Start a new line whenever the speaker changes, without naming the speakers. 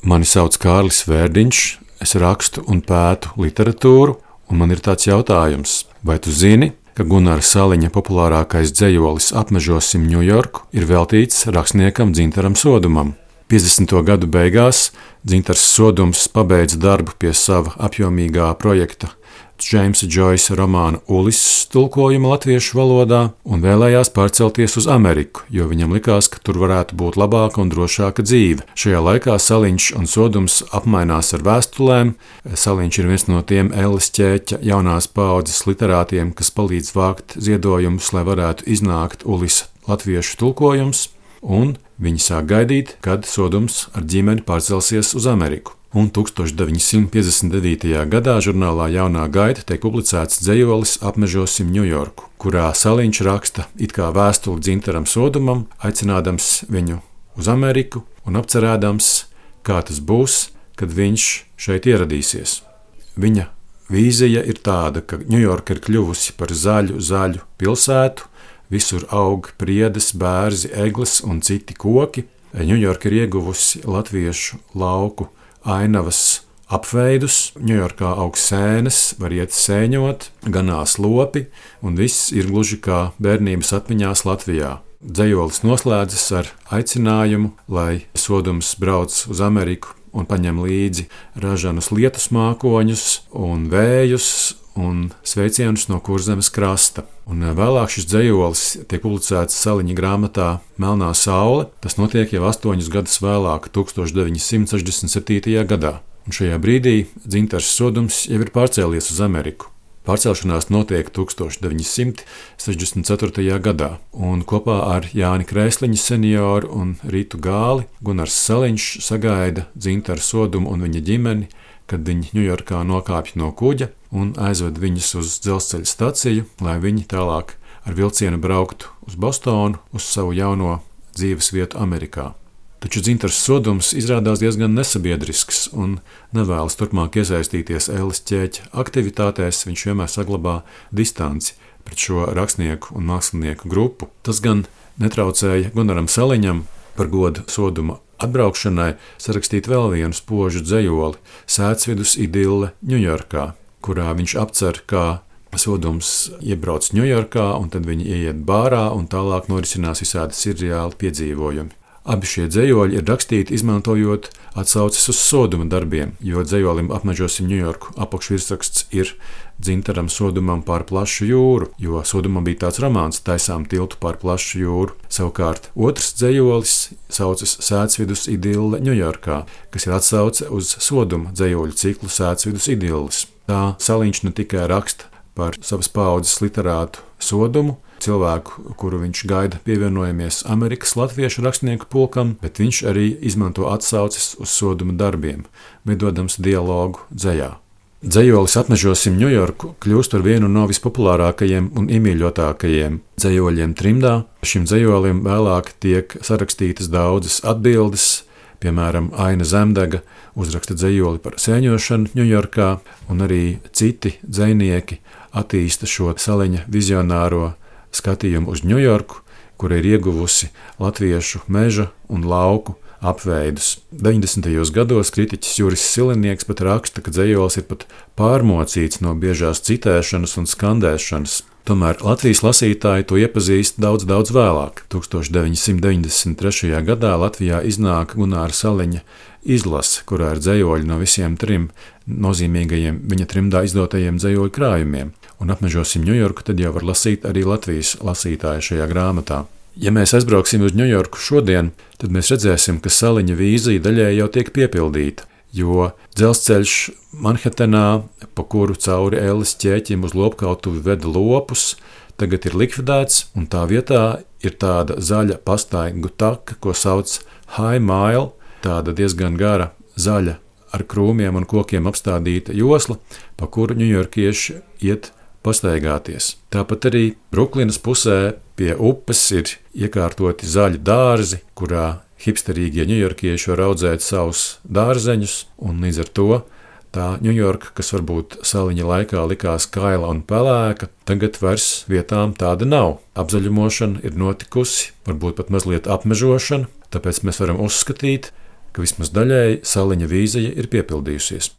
Mani sauc Kārlis Vērdiņš, es rakstu un pētu literatūru, un man ir tāds jautājums. Vai tu zini, ka Gunara Saliņa populārākais dzejolis Apmežosim Ņujorku ir veltīts rakstniekam Dzintaram Sodumam? 50. gadu beigās Dzintars Sodums pabeidza darbu pie sava apjomīgā projekta Džeimsa Džoisa romāna Ulises tulkojuma latviešu valodā un vēlējās pārcelties uz Ameriku, jo viņam likās, ka tur varētu būt labāka un drošāka dzīve. Šajā laikā Saliņš un Sodums apmainās ar vēstulēm. Saliņš ir viens no tiem Ellis Ķēķa jaunās paaudzes literātiem, kas palīdz vākt ziedojumus, lai varētu iznākt Ulisa latviešu tulkojums, un viņi sāk gaidīt, kad Sodums ar ģimeni pārcelsies uz Ameriku. Un 1959. gadā žurnālā Jaunā gaita tiek publicēts dzejolis Apmežosim Ņujorku, kurā Saliņš raksta it kā vēstuli Dzintaram Sodumam, aicinādams viņu uz Ameriku un apcerēdams, kā tas būs, kad viņš šeit ieradīsies. Viņa vīzija ir tāda, ka Ņujorka ir kļuvusi par zaļu pilsētu, visur aug priedes, bērzi, egles un citi koki. Ņujorka ir ieguvusi latviešu lauku ainavas apveidus, Ņujorkā aug sēnes, var iet sēņot, ganās lopi, un viss ir gluži kā bērnības atmiņās Latvijā. Dzejolis noslēdzas ar aicinājumu, lai Sodums brauc uz Ameriku un paņem līdzi ražanus lietus mākoņus un vējus un sveicienus no Kurzemes krasta. Un vēlāk šis dzejolis tiek publicēts Saliņa grāmatā Melnā saule. Tas notiek jau 8 gadus vēlāk, 1967. gadā. Un šajā brīdī Dzintars Sodums jau ir pārcēlies uz Ameriku. Pārcelšanās notiek 1964. gadā, un kopā ar Jāni Krēsliņu senioru un Rītu Gāli Gunars Saliņš sagaida Dzintaru Sodumu un viņa ģimeni, kad viņi Ņujorkā nokāpj no kuģa un aizved viņus uz dzelzceļa staciju, lai viņi tālāk ar vilcienu brauktu uz Bostonu, uz savu jauno dzīves vietu Amerikā. Taču Dzintars Sodums izrādās diezgan nesabiedrisks un nevēlas turpmāk iesaistīties Ellis Ķēķa aktivitātēs, viņš vienmēr saglabā distanci pret šo rakstnieku un mākslinieku grupu. Tas gan netraucēja Gunaram Saliņam par godu Soduma atbraukšanai sarakstīt vēl vienu spožu dzejoli Sēcvidus idille Ņujorkā, kurā viņš apcer, kā Sodums iebrauc Ņujorkā un tad viņi ieiet bārā un tālāk norisinās visādi sirreāli piedzīvojumi. Abi šie dzejoļi ir rakstīti izmantojot atsauces uz Soduma darbiem, jo dzejolim Apmežosim Ņujorku apakšvirsraksts ir Dzintaram Sodumam pār plašu jūru, jo Sodumam bija tāds romāns Taisām tiltu pār plašu jūru. Savukārt otrs dzejolis saucas Sēcvidus idille Ņujorkā, kas ir atsauce uz Soduma dzejoļu ciklu Sēcvidus idilles. Tā Saliņš ne tikai raksta par savas paaudzes literātu Sodumu, cilvēku, kuru viņš gaida pievienojamies Amerikas latviešu rakstnieku pulkam, bet viņš arī izmanto atsauces uz Soduma darbiem, veidodams dialogu dzejā. Dzejolis Apmežosim Ņujorku kļūst par vienu no vispopulārākajiem un iemīļotākajiem dzejoļiem trimdā. Šim dzejolim vēlāk tiek sarakstītas daudzas atbildes, piemēram, Aina Zemdega uzraksta dzejoli par sēņošanu Ņujorkā, un arī citi dzejnieki attīsta šo Saliņa vizionāro skatījumu uz Ņujorku, kura ir ieguvusi latviešu meža un lauku apveidus. 90. gados kritiķis Juris Silinieks pat raksta, ka dzejolis ir pat pārmocīts no biežās citēšanas un skandēšanas. Tomēr Latvijas lasītāji to iepazīst daudz vēlāk. 1993. gadā Latvijā iznāk Gunāra Saliņa izlase, kurā ir dzejoļi no visiem 3 nozīmīgajiem viņa trimdā izdotajiem dzejoļu krājumiem. Un Apmežosim Ņujorku tad jau var lasīt arī Latvijas lasītāji šajā grāmatā. Ja mēs aizbrauksim uz Ņujorku šodien, tad mēs redzēsim, ka Saliņa vīzija daļēji jau tiek piepildīta, jo dzelzceļš Manhetenā, pa kuru cauri Ellis Ķēķim uz lopkautuvi veda lopus, tagad ir likvidēts, un tā vietā ir tāda zaļa pastaigu taka, ko sauc High Mile, tāda diezgan gara zaļa ar krūmiem un kokiem apstādīta josla, pa kuru ņujorkieši iet pastaigāties. Tāpat arī Bruklinas pusē pie upes ir iekārtoti zaļi dārzi, kurā hipsterīgie ņujorkieši var audzēt savus dārzeņus, un līdz ar to tā Ņujorka, kas varbūt Saliņa laikā likās kaila un pelēka, tagad vairs vietām tāda nav. Apzaļumošana ir notikusi, varbūt pat mazliet apmežošana, tāpēc mēs varam uzskatīt, ka vismaz daļēji Saliņa vīzija ir piepildījusies.